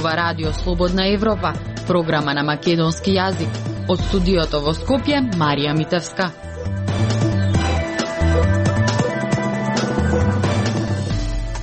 зборува Радио Слободна Европа, програма на македонски јазик. Од студиото во Скопје, Марија Митевска.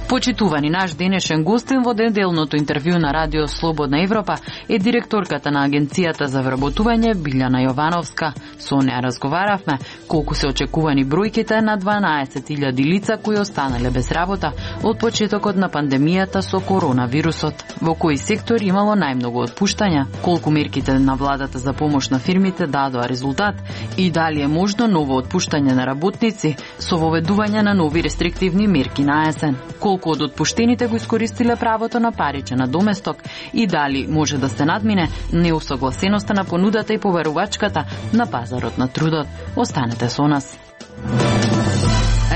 Почитувани, наш денешен гостин во неделното интервју на Радио Слободна Европа е директорката на Агенцијата за вработување Билјана Јовановска. Со неа разговаравме колку се очекувани бројките на 12.000 лица кои останале без работа од почетокот на пандемијата со коронавирусот. Во кои сектор имало најмногу отпуштања, колку мерките на владата за помош на фирмите дадоа резултат и дали е можно ново отпуштање на работници со воведување на нови рестриктивни мерки на есен. Колку од отпуштените го искористиле правото на паричен надоместок и дали може да се надмине неусогласеноста на понудата и поверувачката на пазарот на трудот. Останете со нас.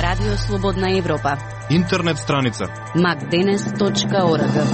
Радио Слободна Европа. Интернет страница macdenes.org.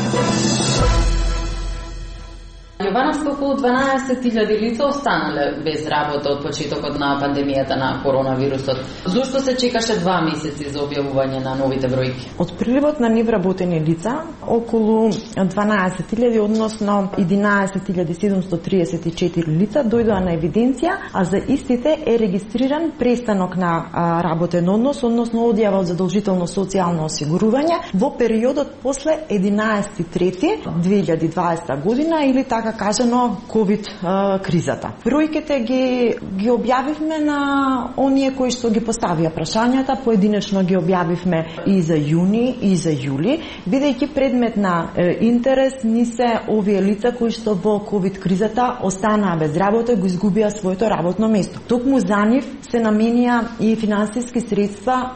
Јовановска, околу 12.000 лица останале без работа од почетокот на пандемијата на коронавирусот. Зошто се чекаше 2 месеци за објавување на новите бројки? Од приливот на невработени лица, околу 12.000, односно 11.734 лица дојдоа на евиденција, а за истите е регистриран престанок на работен однос, односно одјава од задолжително социјално осигурување во периодот после 11.3.2020 година или така кажано ковид кризата. Бројките ги објавивме на оние кои што ги поставија прашањата, поединечно ги објавивме и за јуни и за јули, бидејќи предмет на интерес ни се овие лица кои што во ковид кризата останаа без работа и го изгубија своето работно место. Токму за нив се наменија и финансиски средства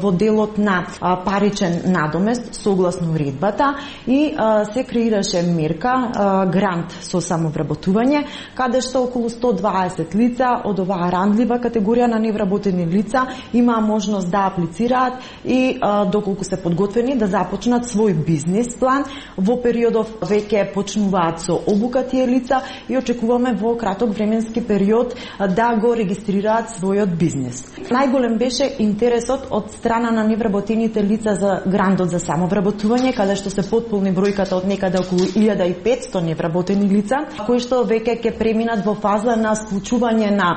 во делот на паричен надомест согласно уредбата и се креираше мерка грант со самовработување, каде што околу 120 лица од оваа ранлива категорија на невработени лица имаа можност да аплицираат и доколку се подготвени да започнат свој бизнес план. Во периодов веќе почнуваат со обука тие лица и очекуваме во краток временски период да го регистрираат својот бизнес. Најголем беше интересот од страна на невработените лица за грантот за самовработување, каде што се потполни бројката од некаде околу 1500 невработени лица, кои што веќе ќе преминат во фаза на склучување на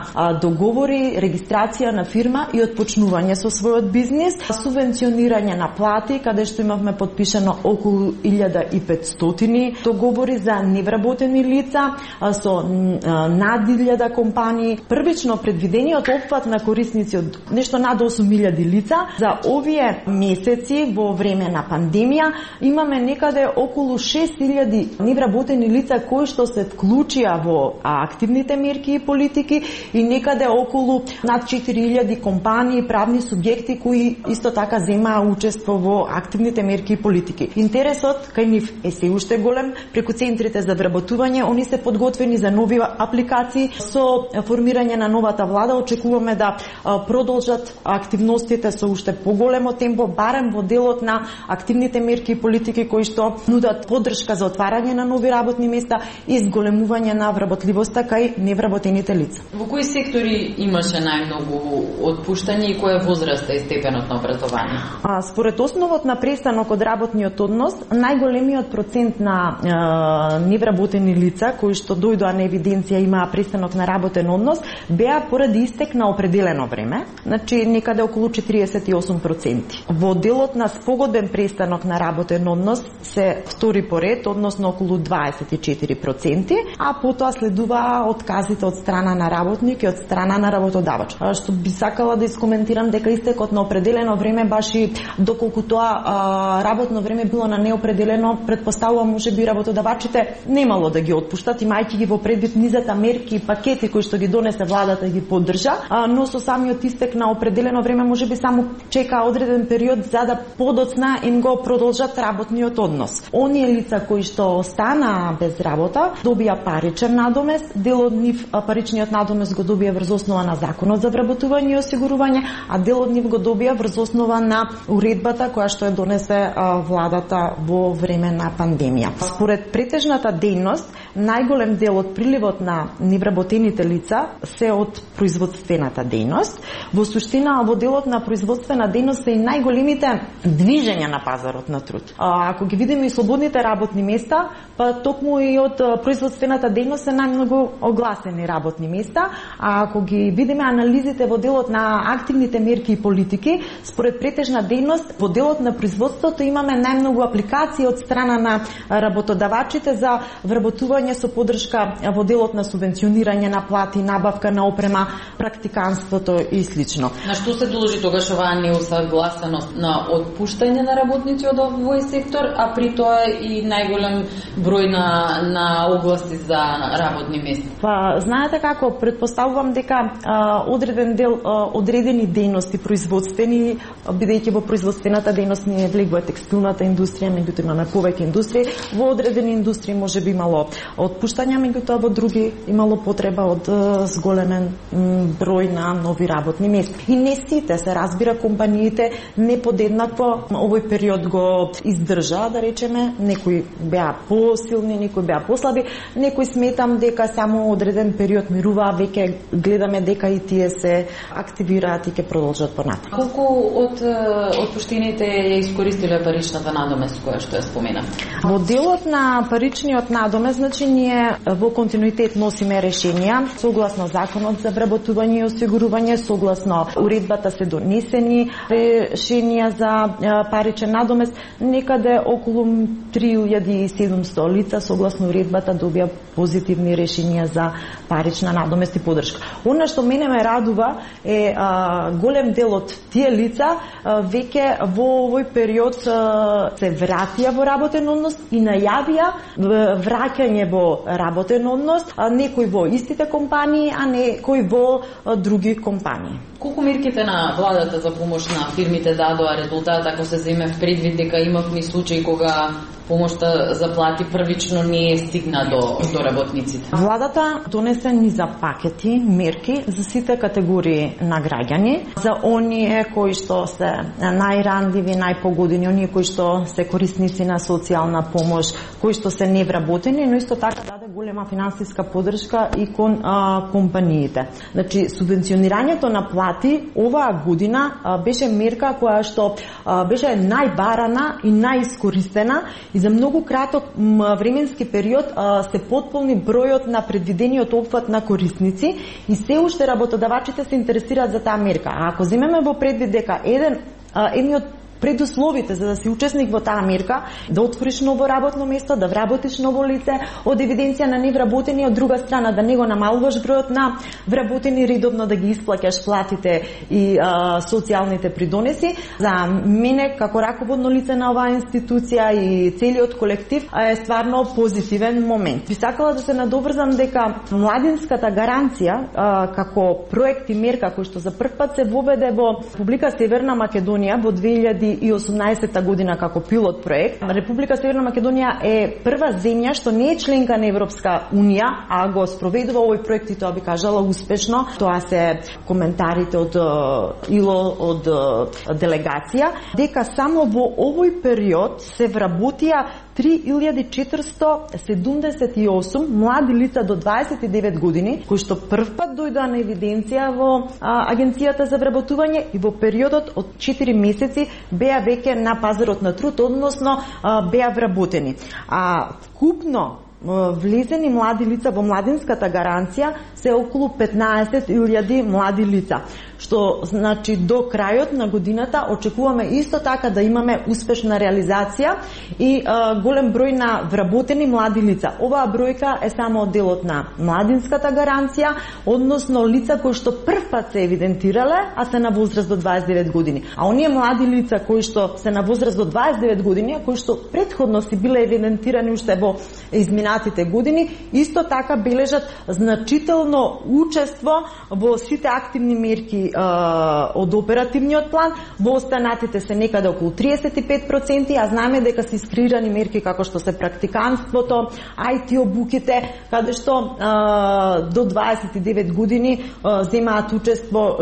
договори, регистрација на фирма и отпочнување со својот бизнес, субвенционирање на плати, каде што имавме подпишано околу 1500 договори за невработени лица со над 1000 компании. Првично предвидениот опфат на корисници од нешто над 8000 лица. За овие месеци во време на пандемија имаме некаде околу 6000 невработени лица кои што се вклучија во активните мерки и политики и некаде околу над 4000 компании и правни субјекти кои исто така земаа учество во активните мерки и политики. Интересот кај нив е се уште голем. Преку центрите за вработување, они се подготвени за нови апликации. Со формирање на новата влада очекуваме да продолжат активностите со уште поголемо темпо, барем во делот на активните мерки и политики кои што нудат поддршка за отварање на нови работни места и зголемување на вработливоста кај невработените лица. Во кои сектори имаше најмногу отпуштање и која возраста и степенот на образование? Според основот на престанок од работниот однос, најголемиот процент на невработени лица кои што дојдоа на евиденција имаа престанок на работен однос беа поради истек на определено време, значи некаде околу 48%. Во делот на спогодбен престанок на работен однос се втори поред, односно околу 24%, а потоа следуваа отказите од страна на работник и од страна на работодавач. Што би сакала да искоментирам дека истекот на определено време баш и доколку тоа работно време било на неопределено, предпоставувам можеби работодавачите немало да ги отпуштат, имајќи ги во предвид низата мерки и пакети кои што ги донесе владата и ги поддржа, но со самиот истек на определено време можеби само чека одреден период за да подоцна им го продолжат работниот однос. Оние лица кои што останаа без без работа, добија паричен надомест, дел од нив паричниот надомест го добија врз основа на Законот за вработување и осигурување, а дел од нив го добија врз основа на уредбата која што ја донесе владата во време на пандемија. Според претежната дејност, најголем дел од приливот на невработените лица се од производствената дејност. Во суштина, во делот на производствена дејност се и најголемите движења на пазарот на труд. Ако ги видиме и слободните работни места, па токму и од производствената дејност се најмногу огласени работни места, а ако ги видиме анализите во делот на активните мерки и политики, според претежна дејност, во делот на производството имаме најмногу апликации од страна на работодавачите за вработување со поддршка во делот на субвенционирање на плати, набавка на опрема, практиканството и слично. На што се должи тогаш оваа неусагласеност на отпуштање на работници од овој сектор, а при тоа и најголем број на огласи за работни места? Па, знаете како, предпоставувам дека одреден дел одредени дејности производствени, бидејќи во производствената дејност не влегува текстилната индустрија, меѓутоа имаме повеќе индустрии, во одредени индустрии може би имало отпуштања, меѓутоа во други имало потреба од зголемен број на нови работни места. И не сите, се разбира, компаниите не подеднакво овој период го издржа, да речеме, некои беа посилни, некои беа послаби, некои сметам дека само одреден период мируваа, веќе гледаме дека и тие се активираат и ќе продолжат понатаму. Колку од отпуштените ја искористиле паричната надомест која што ја споменав? Во делот на паричниот надомест, значи ние во континуитет носиме решенија согласно Законот за вработување и осигурување, согласно уредбата се донесени решенија за паричен надомест, некаде околу 3700 лица согласно уредбата добија позитивни решенија за парична надомест и поддршка. Она што мене ме радува е голем дел од тие лица веќе во овој период се вратија во работен однос и најавија враќање во работен однос, некои во истите компании, а некои во други компании. Колку мерките на владата за помош на фирмите дадоа резултат, ако се земе в предвид дека имавме случаи кога помошта за плати првично не е стигна до работниците? Владата донесе низа пакети, мерки за сите категории на граѓани, за оние кои што се најрандливи, најпогодени, оние кои што се корисници на социјална помош, кои што се невработени, но исто така даде голема финансиска поддршка и кон компаниите. Значи, субвенционирањето на плати оваа година беше мерка која што беше најбарана и најискористена и за многу краток временски период се потполни бројот на предвидениот опфат на корисници и се уште работодавачите се интересираат за таа мерка. А ако земеме во предвид дека едни од предусловите за да си учесник во таа мерка, да отвориш ново работно место, да вработиш ново лице, од евиденција на невработени, од друга страна да не го намалуваш бројот на вработени, редовно да ги исплаќаш платите и социјалните придонеси. За мене, како раководно лице на оваа институција и целиот колектив, е стварно позитивен момент. Би сакала да се надоврзам дека младинската гаранција како проект и мерка кој што за прв пат се воведе во Република Северна Македонија во 2018 година како пилот проект. Република Северна Македонија е прва земја што не е членка на Европска унија, а го спроведува овој проект и тоа би кажала успешно. Тоа се коментарите од ИЛО, од делегација, дека само во овој период се вработија 3478 млади лица до 29 години, кои што првпат дојдоа на евиденција во Агенцијата за вработување и во периодот од 4 месеци беа веќе на пазарот на труд, односно беа вработени. А вкупно влезени млади лица во младинската гаранција се околу 15.000 млади лица, што значи до крајот на годината очекуваме исто така да имаме успешна реализација и голем број на вработени млади лица. Оваа бројка е само делот на младинската гаранција, односно лица кои што првпат се евидентирале, а се на возраст до 29 години. А оние млади лица кои што се на возраст до 29 години, а кои што претходно си биле евидентирани уште во изминатите останатите години, исто така бележат значително учество во сите активни мерки од оперативниот план. Во останатите се некаде околу 35%, а знаеме дека се искреирани мерки како што се практиканството, IT обуките, каде што до 29 години земаат учество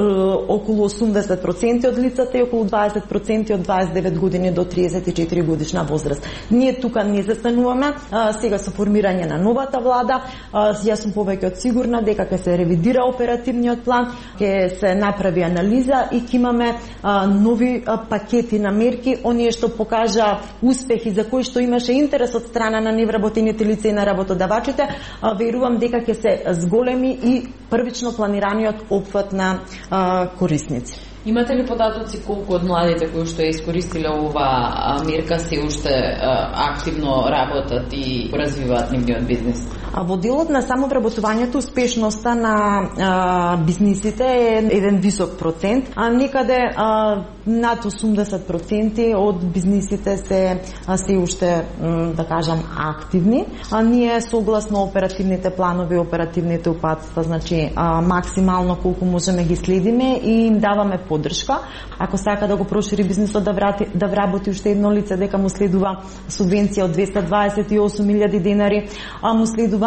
околу 80% од лицата и околу 20% од 29 години до 34 годишна возраст. Ние тука не застануваме, сега со формирање на новата влада, јас сум повеќе од сигурна дека ќе се ревидира оперативниот план, ќе се направи анализа и ќе имаме нови пакети на мерки, оние што покажа успехи за кои што имаше интерес од страна на невработените лица и на работодавачите, верувам дека ќе се зголеми и првично планираниот опфат на корисници. Имате ли податоци колку од младите кои што ја искористиле ова мерка се уште активно работат и развиваат нивниот бизнис? Во делот на самовработувањето успешноста на бизнисите е еден висок процент, а некаде над 80% од бизнисите се уште, да кажам, активни. Ние согласно оперативните планови, оперативните упатства, значи максимално колку можеме ги следиме и им даваме поддршка. Ако сака да го прошири бизнисот, да вработи уште едно лице, дека му следува субвенција од 228.000 денари, му следува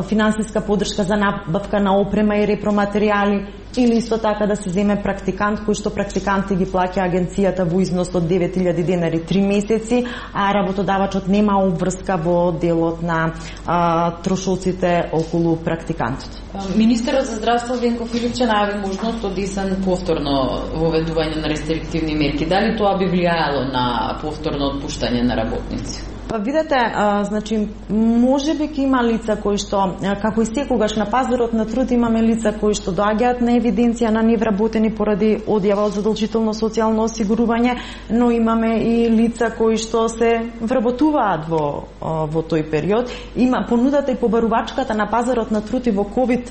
финансиска поддршка за набавка на опрема и репроматеријали, или исто така да се земе практикант, кој што практиканти ги плаќа агенцијата во износ од 9.000 денари 3 месеци, а работодавачот нема обврска во делот на трошоците околу практикантот. Министерот за здравство Венко Филипче најави можност од исен повторно воведување на рестриктивни мерки. Дали тоа би влијаело на повторно отпуштање на работници? Па видете, значи можеби ќе има лица кои што, како и секогаш на пазарот на труд, имаме лица кои што доаѓаат на евиденција на невработени поради одјава од задолжително социјално осигурување, но имаме и лица кои што се вработуваат во тој период. Има понудата и побарувачката на пазарот на труд и во ковид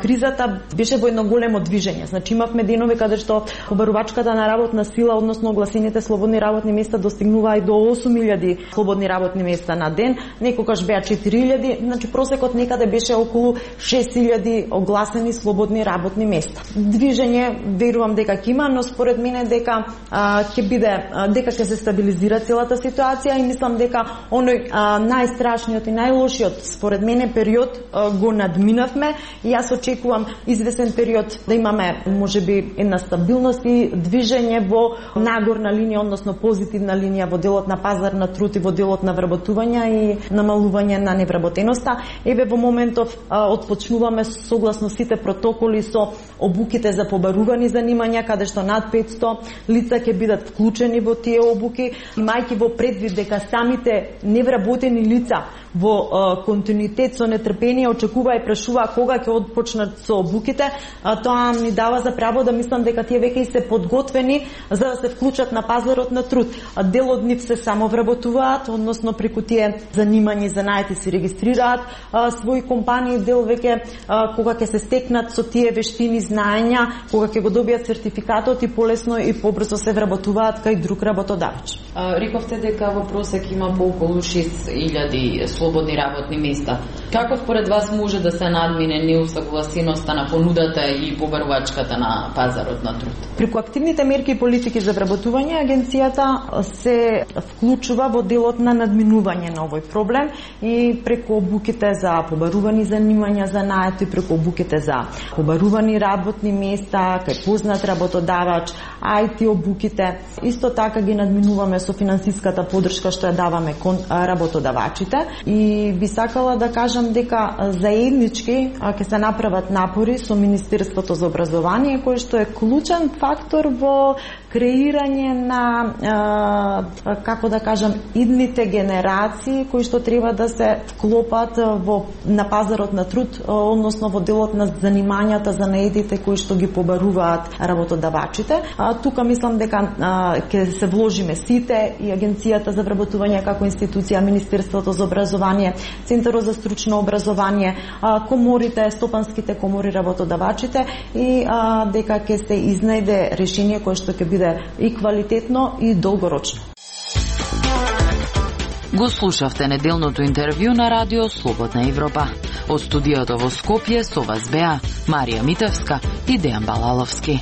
кризата беше во едно големо движење. Значи имавме денови каде што побарувачката на работна сила, односно огласените слободни работни места достигнуваа и до 8.000 слободни работни места на ден, некогаш беа 4.000, значи просекот некаде беше околу 6.000 огласени слободни работни места. Движење верувам дека ќе има, но според мене дека дека ќе се стабилизира целата ситуација и мислам дека оној најстрашниот и најлошиот според мене период го надминавме и јас очекувам извесен период да имаме можеби една стабилност и движење во нагорна линија, односно позитивна линија во делот на пазар на труд и во делот на вработување и намалување на невработеноста. Еве во моментов отпочнуваме согласно сите протоколи со обуките за побарувани занимања, каде што над 500 лица ќе бидат вклучени во тие обуки, имајќи во предвид дека самите невработени лица во континуитет со нетрпение очекува и прашува кога ќе отпочнат со обуките, тоа ни дава за право да мислам дека тие веќе се подготвени за да се вклучат на пазарот на труд. Дел од нив се самовработуваат, односно преку тие занимања за наети се регистрираат своји компании, дел веќе кога ќе се стекнат со тие вештини, знаења, кога ќе го добијат сертификатот и полесно и побрзо се вработуваат кај друг работодавач. Рековте дека во просек има по околу 6.000 слободни работни места. Како според вас може да се надмине неусагласеноста на понудата и побарувачката на пазарот на труд? Преку активните мерки и политики за вработување, агенцијата се вклучува во делот на надминување на овој проблем и преку обуките за побарувани занимања за наети, преку обуките за побарувани работни места, кај познат работодавач, IT обуките. Исто така ги надминуваме со финансиската поддршка што ја даваме кон работодавачите и би сакала да кажам дека заеднички ќе се направат напори со Министерството за образование, кој што е клучен фактор во креирање на како да кажам идните генерации кои што треба да се вклопат на пазарот на труд, односно во делот на занимањата за наедите кои што ги побаруваат работодавачите. Тука мислам дека ќе се вложиме сите и Агенцијата за вработување како институција, Министерството за образование, Центарот за стручно образование, коморите, стопанските комори, работодавачите и дека ќе се изнајде решение кое што ќе биде и квалитетно и долгорочно. Го слушавте неделното интервју на Радио Слободна Европа. Од студиото во Скопје со вас беа Марија Митевска и Дејан Балаловски.